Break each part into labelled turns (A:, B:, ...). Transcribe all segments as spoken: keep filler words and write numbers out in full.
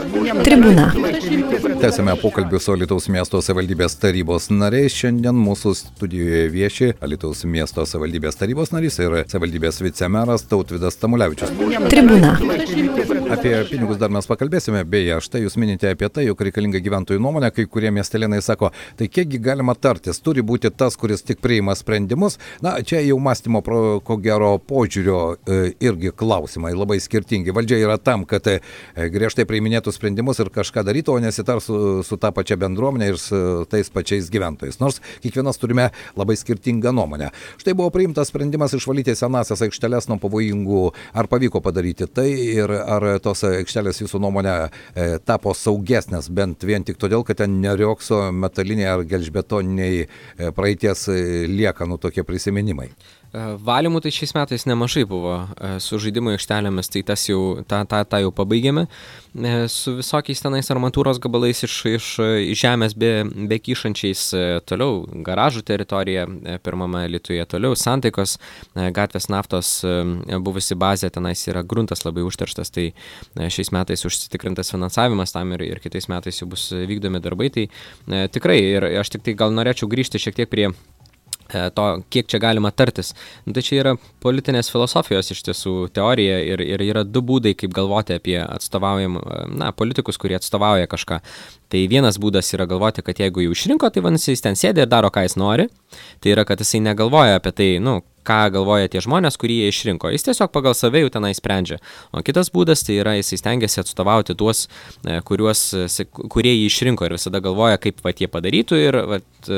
A: Tribūna.
B: Tęsime pokalbį su Alytaus miesto savivaldybės tarybos nariais. Šiandien mūsų studijoje vieši Alytaus miesto savivaldybės tarybos narys ir savivaldybės vicemeras Tautvydas Tamulevičius.
A: Tribūna.
B: Apie pinigus dar mes pakalbėsime. Beje, štai jūs minite apie tai, jog reikalinga gyventojų nuomonė. Kai kurie miestelėnai sako, tai kiekgi galima tartis, turi būti tas, kuris tik priima sprendimus. Na, čia jau mąstymo, pro, ko gero, požiūrio e, irgi klausimai labai skirtingi. Valdžia yra tam, kad e, griežtai priiminėtų sprendimus ir kažką darytų, o nesitar su, su ta pačia bendruomenė ir su tais pačiais gyventojais. Nors kiekvienas turime labai skirtingą nuomonę. Štai buvo priimtas sprendimas išvalyti senasias aikšteles nuo pavojingų. Ar pavyko padaryti tai ir ar tos aikštelės jūsų nuomonė e, tapo saugesnės, bent vien tik todėl, kad ten neriokso metaliniai ar gelžbetoniniai e, praeities e, liekanų tokie prisiminimai?
C: Valymų tai šiais metais nemažai buvo su žaidimo aikštelėmis, tai tas jau, tą, tą, tą jau pabaigėme. Su visokiais tenais armatūros gabalais iš, iš žemės be, be kyšančiais toliau garažų teritorija pirmame Alytuje, toliau Santaikos gatvės naftos buvusi bazė, tenais yra gruntas labai užterštas, tai šiais metais užsitikrintas finansavimas tam ir, ir kitais metais jau bus vykdomi darbai. Tai tikrai, ir aš tik tai gal norėčiau grįžti šiek tiek prie to, kiek čia galima tartis. Nu, tai čia yra politinės filosofijos iš tiesų teorija ir, ir yra du būdai, kaip galvoti apie atstovaujam, na, politikus, kurie atstovauja kažką. Tai vienas būdas yra galvoti, kad jeigu jau išrinko, tai vadinasi, jis ten sėdė ir daro, ką jis nori. Tai yra, kad jisai negalvoja apie tai, nu, ką galvoja tie žmonės, kurie jie išrinko. Jis tiesiog pagal save jau tenai sprendžia. O kitas būdas, tai yra, jisai stengiasi atstovauti tuos, kuriuos, kurie jį išrinko ir visada galvoja, kaip vat, jie padarytų ir vat,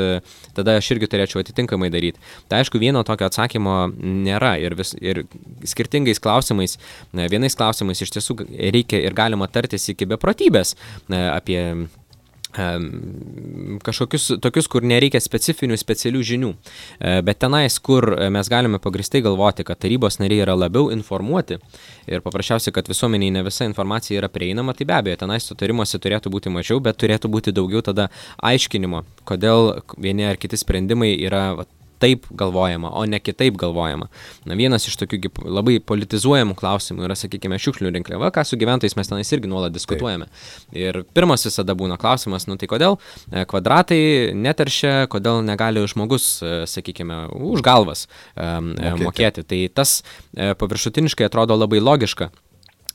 C: tada aš irgi turėčiau atitinkamai daryti. Tai aišku, vieno tokio atsakymo nėra ir, vis, ir skirtingais klausimais, vienais klausimais iš tiesų reikia ir galima tartis iki beprotybės apie kažkokius tokius, kur nereikia specifinių, specialių žinių. Bet tenais, kur mes galime pagristai galvoti, kad tarybos nariai yra labiau informuoti ir paprasčiausiai, kad visuomeniai ne visa informacija yra prieinama, tai be abejo, tenais sutarimuose turėtų būti mažiau, bet turėtų būti daugiau tada aiškinimo, kodėl vieni ar kiti sprendimai yra va, taip galvojama, o ne kitaip galvojama. Na, vienas iš tokių labai politizuojamų klausimų yra, sakykime, šiukšlių rinkliava, ką su gyventojais mes tenais irgi nuolat diskutuojame. Taip. Ir pirmas visada būna klausimas, nu tai kodėl kvadratai neteršia, kodėl negali žmogus, sakykime, už galvas mokėti. mokėti. Tai tas paviršutiniškai atrodo labai logiška.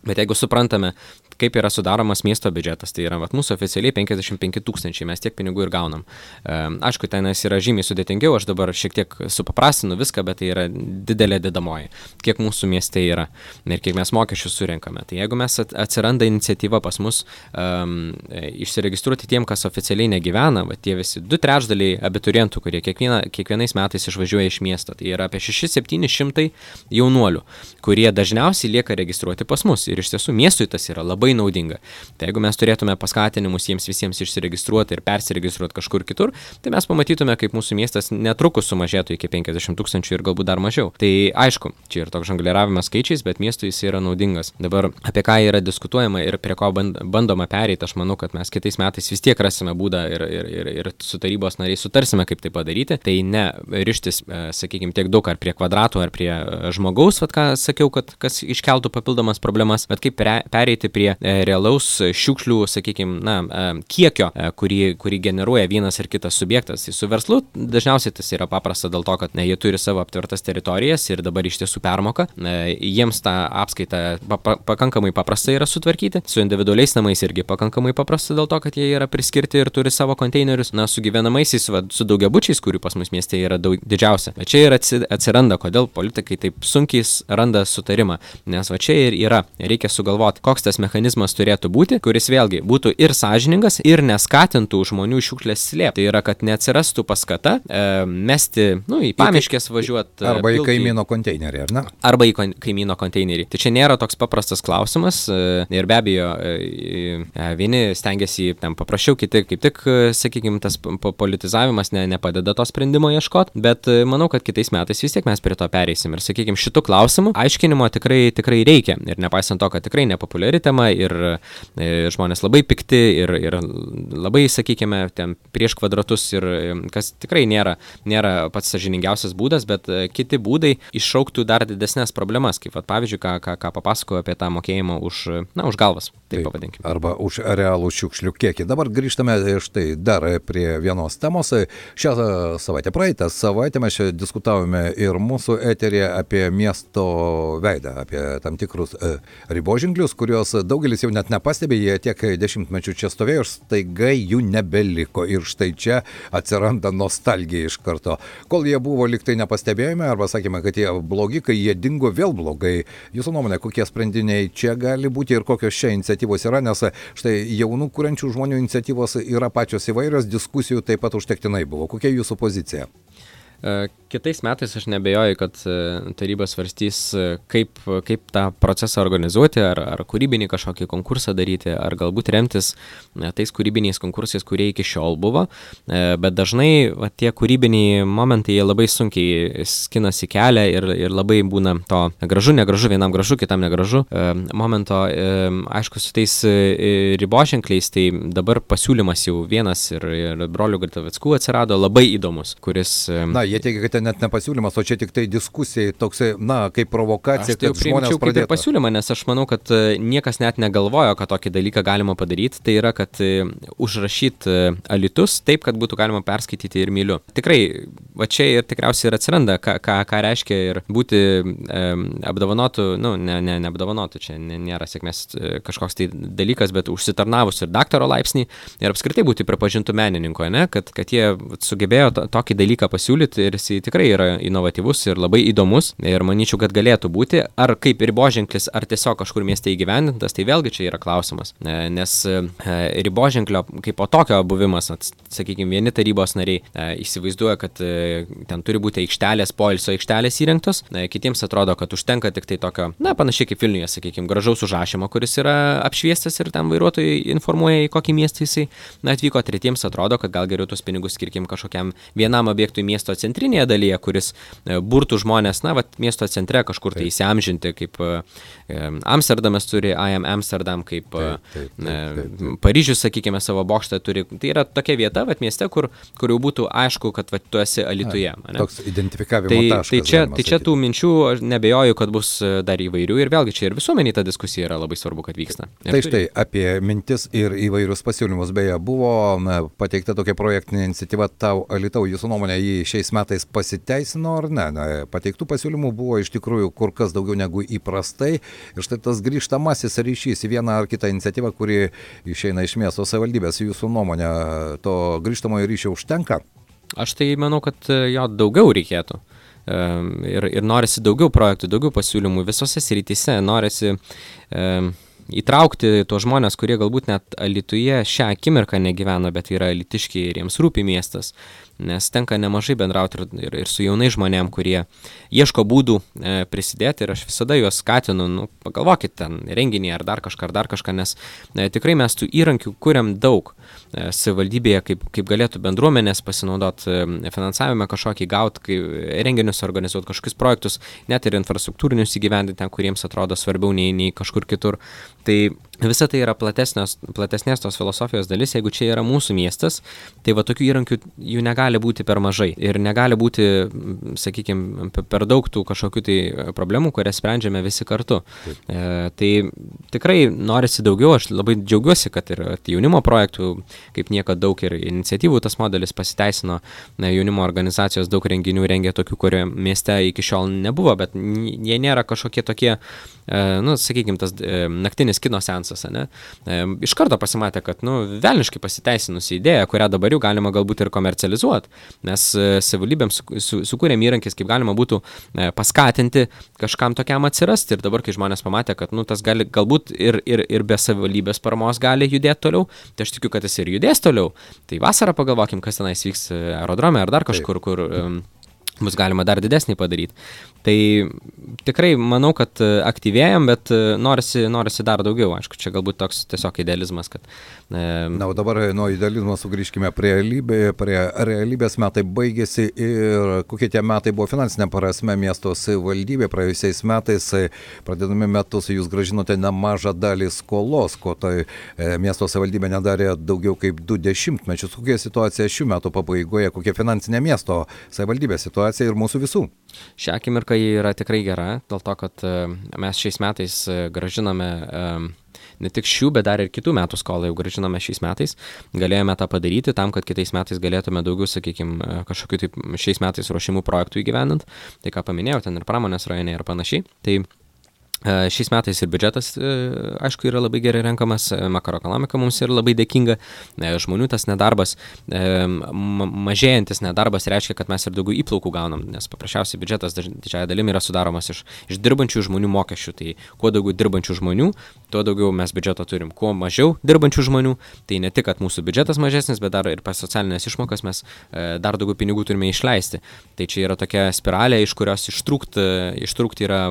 C: Bet jeigu suprantame, kaip yra sudaromas miesto biudžetas, tai yra vat, mūsų oficialiai penkiasdešimt penki tūkstančiai, mes tiek pinigų ir gaunam. E, aišku, tenais yra žymiai sudėtingiau, aš dabar šiek tiek supaprastinu viską, bet tai yra didelė dedamoji, kiek mūsų mieste yra ir kiek mes mokesčių surenkame. Tai jeigu mes atsiranda iniciatyva pas mus um, išsiregistruoti tiem, kas oficialiai negyvena, va, tie visi du trečdaliai abiturientų, kurie kiekviena, kiekvienais metais išvažiuoja iš miesto, tai yra apie šeši septyni šimtai jaunuolių, kurie dažniausiai lieka registruoti pas mus ir iš tiesų miestui tas yra labai naudinga. Tai jeigu mes turėtume paskatinimus jiems visiems išsiregistruoti ir persiregistruoti kažkur kitur, tai mes pamatytume, kaip mūsų miestas netrukus sumažėtų iki penkiasdešimt tūkstančių ir galbūt dar mažiau. Tai aišku, čia ir toks žongliravimas skaičiais, bet miestui jis yra naudingas. Dabar apie ką yra diskutuojama ir prie ko bandoma pereiti, aš manau, kad mes kitais metais vis tiek rasime būdą ir, ir, ir, ir su tarybos nariais sutarsime, kaip tai padaryti. Tai ne rištis, sakykime, tiek daug ar prie kvadratų, ar prie žmogaus, vat, ką sakiau, kad kas iškeltų papildomas problemas, bet kaip pereiti prie realaus šiukšlių, sakykime, na, kiekio, kurį, kurį generuoja vienas ar kitas subjektas. Su verslu dažniausiai tas yra paprasta dėl to, kad ne, jie turi savo aptvertas teritorijas ir dabar iš tiesų permoka. Jiems tą apskaitą pa, pakankamai paprasta yra sutvarkyti. Su individualiais namais irgi pakankamai paprasta dėl to, kad jie yra priskirti ir turi savo konteinerius. Na, su gyvenamaisiais, va, su daugiabučiais, kurių pas mus mieste yra daug, didžiausia. Bet čia ir atsiranda, kodėl politikai taip sunkiai randa sutarimą. Nes va čia ir yra. Reikia sugalvoti, koks tas mechanizmas turėtų būti, kuris vėlgi būtų ir sąžiningas, ir neskatintų žmonių šiukšlės slėpti. Tai yra, kad neatsirastų paskata e, mesti, nu, į pamiškės važiuoti.
B: Arba į kaimyno konteinerį, ar ne?
C: Arba į kaimyno konteinerį. Tai čia nėra toks paprastas klausimas e, ir be abejo, e, e, vieni stengiasi ten paprasčiau, kiti kaip tik, sakykime, tas politizavimas ne, nepadeda to sprendimo ieškoti, bet e, manau, kad kitais metais vis tiek mes prie to pereisim. Ir, sakykime, šitų klausimų aiškinimo tikrai, tikrai reikia. Ir nepaisant to, kad tikrai nepopuliari tema ir e, žmonės labai pikti ir, ir labai, sakykime, ten prieš kvadratus ir kas tikrai nėra, nėra pats sąžiningiausias būdas, bet e, kiti būdai iššauktų dar didesnės problemas, kaip vat, pavyzdžiui, ką, ką, ką papasakoju apie tą mokėjimą už, na, už galvas. taip pavadinkime.
B: Arba už realų šiukšlių kiekį. Dabar grįžtame štai dar prie vienos temos. Šią savaitę, praeitą savaitę mes čia diskutavome ir mūsų eterėje apie miesto veidą, apie tam tikrus e, riboženklius, kuriuos daugelis jau net nepastebė, jie tiek dešimtmečių čia stovėjo ir staiga jų nebeliko. Ir štai čia atsiranda nostalgija iš karto. Kol jie buvo liktai nepastebėjome, arba sakėme, kad jie blogi, kai jie dingo, vėl blogai. Jūsų nuomonė, kokie sprendiniai čia gali būti ir kokios čia iniciatyvos yra, nes štai jaunų kuriančių žmonių iniciatyvos yra pačios įvairios, diskusijų taip pat užtektinai buvo. Kokia jūsų pozicija?
C: Kitais metais aš nebejoju, kad taryba svarstys, kaip, kaip tą procesą organizuoti, ar, ar kūrybinį kažkokį konkursą daryti, ar galbūt remtis tais kūrybiniais konkursais, kurie iki šiol buvo. Bet dažnai va, tie kūrybiniai momentai jie labai sunkiai skinasi kelią ir, ir labai būna to gražu, negražu, vienam gražu, kitam negražu momento. Aišku, su tais riboženkliais, tai dabar pasiūlymas jau vienas ir, ir brolių Gritavickų atsirado labai įdomus, kuris...
B: Na, jie teigia, kad net ne pasiūlymas, o čia tik tai diskusijai, toksai, na, kaip provokacija,
C: aš tai
B: kad žmonės
C: pradėtų. Kaip pasiūlymą, nes aš manau, kad niekas net negalvojo, kad tokį dalyką galima padaryti. Tai yra, kad užrašyti Alytus taip, kad būtų galima perskaityti ir myliu. Tikrai, va čia ir tikriausiai ir atsiranda, ką, ką, ką reiškia ir būti e, apdovanotų, nu, ne, ne, ne apdovanotų, čia nėra sėkmės kažkoks tai dalykas, bet užsitarnavus ir daktaro laipsnį ir apskritai būti pripažintų menininku, ne, kad, kad jie sugebėjo to, tokį dalyką pasiūlyti. Ir jis tikrai yra inovatyvus ir labai įdomus ir manyčiau, kad galėtų būti, ar kaip riboženklis, ar tiesiog kažkur mieste įgyvendintas, tai vėlgi čia yra klausimas, nes riboženklio kaip po tokio buvimas, sakykime, vieni tarybos nariai įsivaizduoja, kad ten turi būti aikštelės, poilsio aikštelės įrengtos, kitiems atrodo, kad užtenka tik tai tokio, na, panašiai kaip Vilniuje, sakykime, gražaus užrašymo, kuris yra apšviestas ir ten vairuotojai informuoja, į kokį miestą jisai atvyko, tretiems atrodo, kad gal geriau tuos pinigus skirkim kažkokiam vienam objektui miesto centrinėje dalyje, kuris burtų žmonės, na, vat, miesto centre kažkur tai įsiamžinti, kaip Amsterdamas turi I Am Amsterdam, kaip taip, taip, taip, taip. Paryžius, sakykime, savo bokštą turi. Tai yra tokia vieta, vat, mieste, kur, kur jau būtų aišku, kad vat, tu esi Alytuje.
B: Na, toks identifikavimo
C: tai,
B: taškas.
C: Tai čia, tai čia tų minčių, aš nebejoju, kad bus dar įvairių ir vėlgi čia ir visuomeniai ta diskusija yra labai svarbu, kad vyksta. Ir
B: tai štai apie mintis ir įvairius pasiūlymus, beje, buvo na, pateikta tokia projektinė iniciatyva Tau Alytau, jūsų nuomonė, jį šiais metais pasiteisino ar ne? Na, pateiktų pasiūlymų buvo iš tikrųjų kur kas daugiau negu įprastai ir štai tas grįžtamasis ryšys į vieną ar kitą iniciatyvą, kuri išeina iš miesto savivaldybės, jūsų nuomonė, to grįžtamojo ryšio užtenka?
C: Aš tai manau, kad jo daugiau reikėtų. Ir, ir norisi daugiau projektų, daugiau pasiūlymų visose srityse, norisi um, įtraukti tuos žmonės, kurie galbūt net Alytuje šią akimirką negyvena, bet yra alytiškiai ir jiems rūpi miestas, nes tenka nemažai bendrauti ir, ir, ir su jaunai žmonėm, kurie ieško būdų e, prisidėti ir aš visada juos skatinu, nu, pagalvokit ten renginį ar dar kažką, ar dar kažką, nes e, tikrai mes tų įrankių kuriam daug e, savivaldybėje, kaip, kaip galėtų bendruomenės pasinaudoti e, finansavimą kažkokį gauti, kai renginius organizuoti, kažkokius projektus, net ir infrastruktūrinius įgyvendinti ten, kuriems atrodo svarbiau nei, nei kažkur kitur. Tai visa tai yra platesnės, platesnės tos filosofijos dalis, jeigu čia yra mūsų miestas, tai va tokių įrankių jų negali būti per mažai ir negali būti, sakykime, per daug tų kažkokių tai problemų, kurias sprendžiame visi kartu. E, tai tikrai norisi daugiau, aš labai džiaugiuosi, kad ir jaunimo projektų, kaip niekad daug ir iniciatyvų tas modelis pasiteisino, jaunimo organizacijos daug renginių rengia tokių, kurie mieste iki šiol nebuvo, bet jie nėra kažkokie tokie, e, nu, sakykime, tas e, naktinis kino seansas, ne? E, iš karto pasimatė, kad, nu, velniškai pasiteisinusi idėja, kurią dabar jau galima galbūt ir komercializuoti, nes e, savivaldybėm su, su, sukūrėm įrankis, kaip galima būtų e, paskatinti kažkam tokiam atsirasti ir dabar, kai žmonės pamatė, kad, nu, tas gali galbūt ir, ir, ir be savivaldybės paramos gali judėti toliau, tai aš tikiu, kad jis ir judės toliau. Tai vasarą pagalvokim, kas tenais vyks aerodrome ar dar kažkur, kur um, bus galima dar didesnį padaryti. Tai tikrai manau, kad aktyvėjam, bet norisi, norisi dar daugiau. Aišku, čia galbūt toks tiesiog idealizmas, kad... E...
B: Na, o dabar nuo idealizmo sugrįžkime prie realybė, prie realybės. Metai baigėsi ir kokie tie metai buvo finansinė prasme miesto savivaldybė. Praėjusiais metais, pradėdami metus, jūs grąžinote nemažą dalį skolos, ko tai e, miesto savivaldybė nedarė daugiau kaip du dešimtmečius. Kokia situacija šių metų pabaigoje, kokia finansinė miesto savivaldybė situacija ir mūsų visų?
C: Šią akimirką ji yra tikrai gera, dėl to, kad mes šiais metais grąžiname ne tik šių, bet dar ir kitų metų skolą jau grąžinome šiais metais. Galėjome tą padaryti tam, kad kitais metais galėtume daugiau, sakykime, kažkokiu taip šiais metais ruošimų projektų įgyvendint. Tai ką paminėjau, ten ir pramonės rajone ir panašiai. Tai šiais metais ir biudžetas, aišku, yra labai gerai renkamas, makroekonomika mums yra labai dėkinga, žmonių tas nedarbas, mažėjantis nedarbas reiškia, kad mes ir daugiau įplaukų gaunam, nes paprasčiausiai biudžetas didžiąją dalimi yra sudaromas iš, iš dirbančių žmonių mokesčių, tai kuo daugiau dirbančių žmonių, tuo daugiau mes biudžeto turim, kuo mažiau dirbančių žmonių, tai ne tik, kad mūsų biudžetas mažesnis, bet dar ir pas socialinės išmokas mes dar daugiau pinigų turime išleisti. Tai čia yra tokia spiralė, iš kurios ištrūkti, ištrūkti yra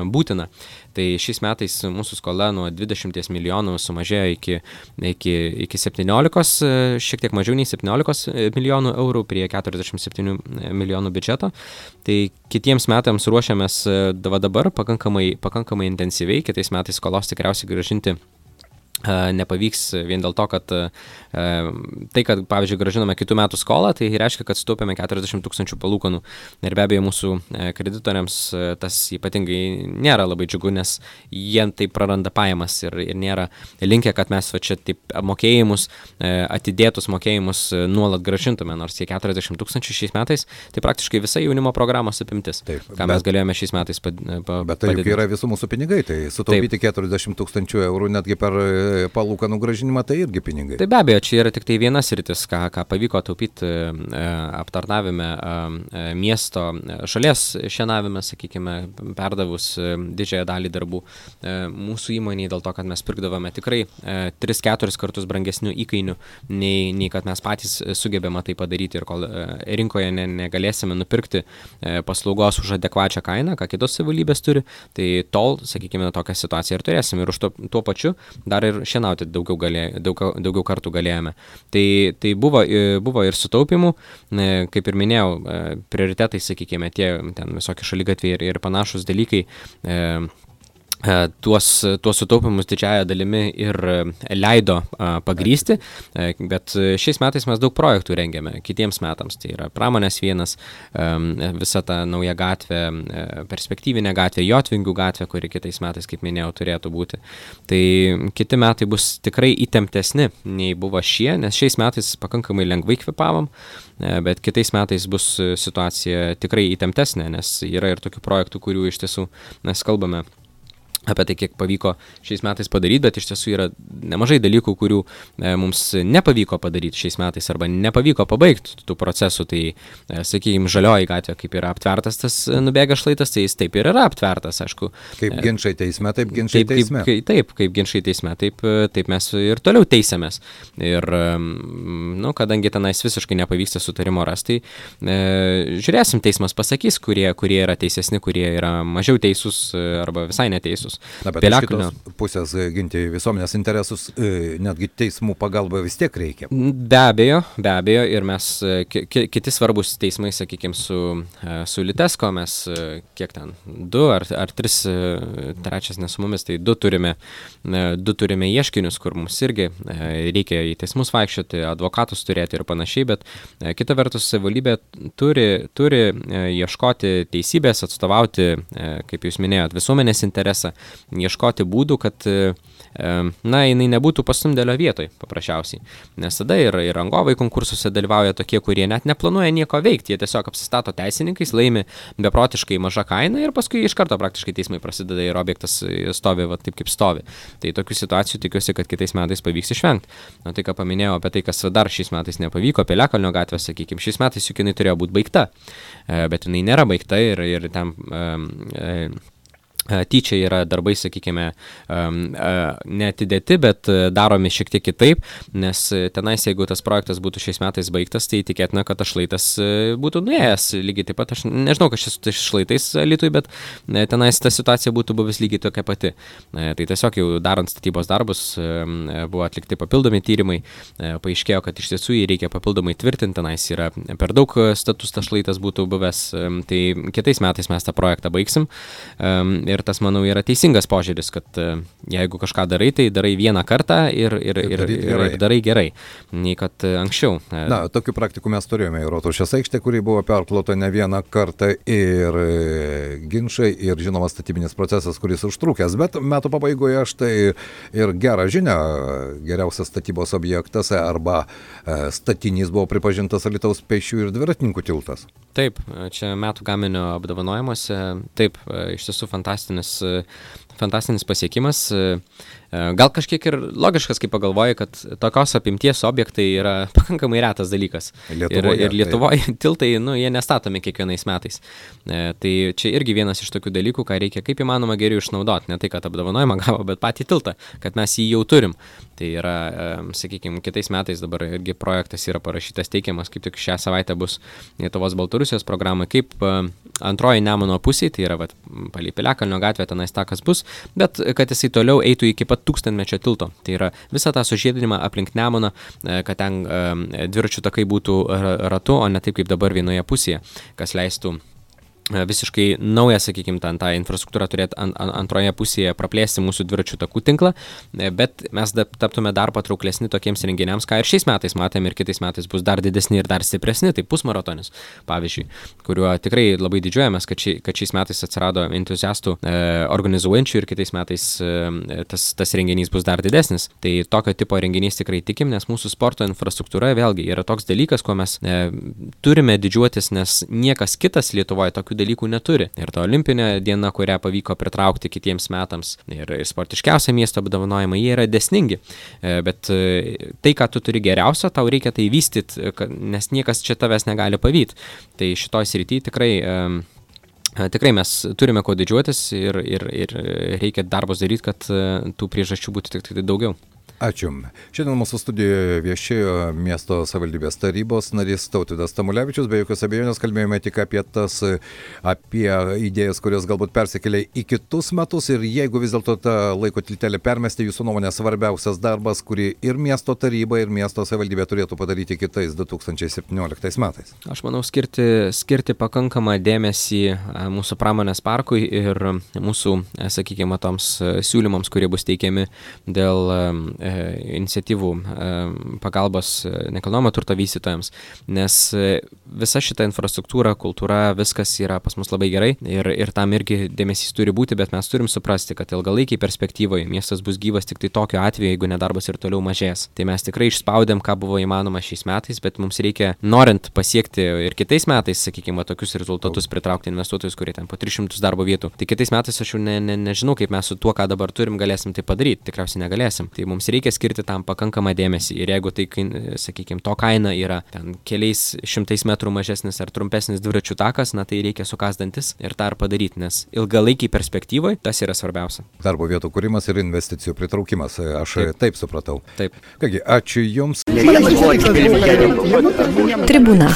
C: būtina. Tai šiais metais mūsų skola nuo dvidešimt milijonų sumažėjo iki, iki, iki septyniolikos, šiek tiek mažiau nei septyniolikos milijonų eurų prie keturiasdešimt septynių milijonų biudžeto. Tai kitiems metams ruošiamės dabar pakankamai, pakankamai intensyviai, kitais metais skolos tikriausiai grąžinti nepavyks vien dėl to, kad tai, kad, pavyzdžiui, grąžiname kitų metų skolą, tai reiškia, kad sutaupėme keturiasdešimt tūkstančių palūkanų. Ir be abejo, mūsų kreditoriams tas ypatingai nėra labai džiugu, nes jie taip praranda pajamas ir, ir nėra linkę, kad mes va čia taip mokėjimus, atidėtus mokėjimus nuolat grąžintume, nors tie keturiasdešimt tūkstančių šiais metais, tai praktiškai visa jaunimo programos apimtis, taip, ką bet, mes galėjome šiais metais padidinti.
B: Bet tai juk yra visų mūsų pinigai, tai sutaupyti taip. keturiasdešimt tūkstančių eurų netgi per palūkanų grąžinimą, tai irgi pinigai.
C: Tai be abejo, čia yra tik tai vienas sritis, ką, ką pavyko taupyti e, aptarnavime e, miesto šalies šienavime, sakykime, perdavus e, didžiąją dalį darbų e, mūsų įmoniai, dėl to, kad mes pirkdavome tikrai e, tris keturis kartus brangesnių įkainių, nei, nei kad mes patys sugebėme tai padaryti ir kol e, rinkoje ne, negalėsime nupirkti e, paslaugos už adekvačią kainą, ką kitos savivaldybės turi, tai tol, sakykime, tokią situaciją ir turėsime. Ir už to, tuo pačiu dar ir šienauti daugiau, galė, daug, daugiau kartų galėjome. Tai, tai buvo, buvo ir sutaupimų, kaip ir minėjau, prioritetai, sakykime, tie ten visokie šaligatviai ir, ir panašus dalykai, tuos, tuos sutaupimus didžiąją dalimi ir leido a, pagrysti, a, bet šiais metais mes daug projektų rengiame kitiems metams. Tai yra pramonės vienas, a, visa ta nauja gatvė, a, perspektyvinė gatvė, Jotvingių gatvė, kuri kitais metais, kaip minėjau, turėtų būti. Tai kiti metai bus tikrai įtemptesni nei buvo šie, nes šiais metais pakankamai lengvai kvepavom, a, bet kitais metais bus situacija tikrai įtemptesnė, nes yra ir tokių projektų, kurių iš tiesų mes kalbame apie tai, kiek pavyko šiais metais padaryti, bet iš tiesų yra nemažai dalykų, kurių e, mums nepavyko padaryti šiais metais arba nepavyko pabaigti tų procesų. Tai, e, sakykime, Žalioji gatvė, kaip yra aptvertas tas nubėga šlaitas, tai jis taip ir yra aptvertas, aišku.
B: Kaip ginčai teisme, taip ginčai
C: taip,
B: teisme.
C: Kaip, kaip, taip, kaip ginčai teisme, taip, taip mes ir toliau teisėmės. Ir, nu, kadangi tenais visiškai nepavyksta sutarimo rasti, e, žiūrėsim, teismas pasakys, kurie, kurie yra teisesni, kurie yra mažiau teisūs arba visai neteisūs.
B: Na, bet iš kitos pusės ginti visuomenės interesus, netgi teismų pagalba vis tiek reikia.
C: Be abejo, be abejo, ir mes, ki, kiti svarbus teismai, sakykime, su, su Litesko, mes kiek ten, du ar, ar tris, trečias ne su mumis, tai du turime, du turime ieškinius, kur mums irgi reikia į teismus vaikščioti, advokatus turėti ir panašiai, bet kita vertus, savivaldybė turi, turi ieškoti teisybės, atstovauti, kaip jūs minėjot, visuomenės interesą, ieškoti būdų, kad, na, jinai nebūtų pastumdėlio vietoj, paprasčiausiai. Nes tada ir, ir rangovai konkursuose dalyvauja tokie, kurie net neplanuoja nieko veikti, jie tiesiog apsistato teisininkais, laimi beprotiškai mažą kainą ir paskui iš karto praktiškai teismai prasideda ir objektas stovi va, taip, kaip stovi. Tai tokių situacijų tikiuosi, kad kitais metais pavyks išvengti. Na, tai ką paminėjau apie tai, kas dar šiais metais nepavyko, Piliakalnio gatvė, sakykime, šiais metais juk jinai turėjo būti baigta, bet jinai nėra baigta ir, ir ten... E, e, tyčia yra darbai, sakykime, neatidėti, bet daromi šiek tiek kitaip, nes tenais, jeigu tas projektas būtų šiais metais baigtas, tai tikėtina, kad tas šlaitas būtų nuėjęs lygiai taip pat. Aš nežinau, kas čia su tais šlaitais Alytui, bet tenais ta situacija būtų buvęs lygiai tokia pati. Tai tiesiog jau darant statybos darbus buvo atlikti papildomi tyrimai, paaiškėjo, kad iš tiesų jį reikia papildomai tvirtinti, tenais yra per daug status tas šlaitas būtų buvęs, tai kitais metais mes tą projektą baigsim. ir tas, manau, yra teisingas požiūris, kad jeigu kažką darai, tai darai vieną kartą ir, ir, ir, ir, gerai. ir darai gerai, nei kad anksčiau.
B: Na, tokių praktikų mes turėjome į Rotušės aikštę, kuri buvo perklota ne vieną kartą ir ginčai, ir žinoma statybinis procesas, kuris užtrukęs, bet metų pabaigoje štai ir gerą žinią, geriausias statybos objektas arba statinys buvo pripažintas Alytaus pėsčiųjų ir dviratininkų tiltas.
C: Taip, čia metų gaminio apdovanojimuose, taip, iš tiesų fantastinis, fantastinis pasiekimas. Gal kažkiek ir logiškas, kai pagalvoji, kad tokios apimties objektai yra pakankamai retas dalykas. Lietuvoje, ir, ir Lietuvoje tiltai, nu, jie nestatomi kiekvienais metais. E, tai čia irgi vienas iš tokių dalykų, ką reikia kaip įmanoma geriau išnaudoti. Ne tai, kad apdovanojimą gavo, bet patį tiltą, kad mes jį jau turim. Tai yra, e, sakykime, kitais metais dabar irgi projektas yra parašytas, teikiamas, kaip tik šią savaitę bus Lietuvos Baltarusijos programa, kaip e, antroji Nemuno pusė, tai yra vat, palei Piliakalnio gatvę, tenais takas bus, bet kad jisai toliau eitų iki pat tūkstantmečio tilto. Tai yra visą tą sužiedinimą aplink Nemuną, kad ten dviračių takai būtų ratu, o ne taip kaip dabar vienoje pusėje, kas leistų visiškai naują, sakykime, tą, tą infrastruktūrą turėti ant, antroje pusėje, praplėsti mūsų dviračių takų tinklą, bet mes da, taptume dar patrauklesni tokiems renginiams, ką ir šiais metais matėme ir kitais metais bus dar didesni ir dar stipresni, tai pusmaratonis, pavyzdžiui, kuriuo tikrai labai didžiuojamės, kad, ši, kad šiais metais atsirado entuziastų e, organizuojančių ir kitais metais e, tas, tas renginys bus dar didesnis. Tai tokio tipo renginys tikrai tikim, nes mūsų sporto infrastruktūra vėlgi yra toks dalykas, kuo mes e, turime didžiuotis, nes niekas kitas Lietuvoje tokių dalykų neturi. Ir ta olimpinė diena, kurią pavyko pritraukti kitiems metams, ir sportiškiausia miesto apdovanojimai, jie yra dėsningi. Bet tai, ką tu turi geriausio, tau reikia tai vystyti, nes niekas čia tavęs negali pavyti. Tai šitoj srity tikrai Tikrai mes turime ko didžiuotis ir, ir, ir reikia darbus daryti, kad tų priežasčių būtų tik, tik daugiau.
B: Ačiū. Šiandien mūsų studijoje viešėjo miesto savivaldybės tarybos narys Tautvydas Tamulevičius. Be jokios abejonės kalbėjome tik apie tas, apie idėjas, kurios galbūt persikėlė į kitus metus. Ir jeigu vis dėlto tą laiko tiltelę permesti, jūsų nuomonė svarbiausias darbas, kurį ir miesto taryba, ir miesto savivaldybė turėtų padaryti kitais du tūkstančiai septynioliktais metais.
C: Aš manau skirti, skirti pakankamą dėmesį mūsų pramonės parkui ir mūsų, sakykime, toms siūlymams, kurie bus teikiami dėl iniciatyvų pagalbos nekilnojamo turto vystytojams, nes visa šita infrastruktūra, kultūra, viskas yra pas mus labai gerai ir, ir tam irgi dėmesys turi būti, bet mes turim suprasti, kad ilgalaikiai perspektyvoje miestas bus gyvas tik tai tokiu atveju, jeigu nedarbas ir toliau mažės. Tai mes tikrai išspaudėm, ką buvo įmanoma šiais metais, bet mums reikia, norint pasiekti ir kitais metais, sakykime, tokius rezultatus, pritraukti investuotojus, kurie ten po tris šimtus darbo vietų. Tai kitais metais aš jau ne, ne, nežinau, kaip mes su tuo, ką dabar turim, galėsim tai padaryti. Tikriausiai negalėsim. Tai mums reikia skirti tam pakankamą dėmesį ir jeigu tai, sakykime, to kaina yra ten keliais šimtais metrų mažesnis ar trumpesnis dviračių takas, na tai reikia sukasdantis ir tą ir padaryti, nes ilgalaikiai perspektyvoje tas yra svarbiausia.
B: Darbo vietų kūrimas ir investicijų pritraukimas, aš taip, taip supratau.
C: Taip.
B: Kągi, ačiū Jums.
A: Tribūna.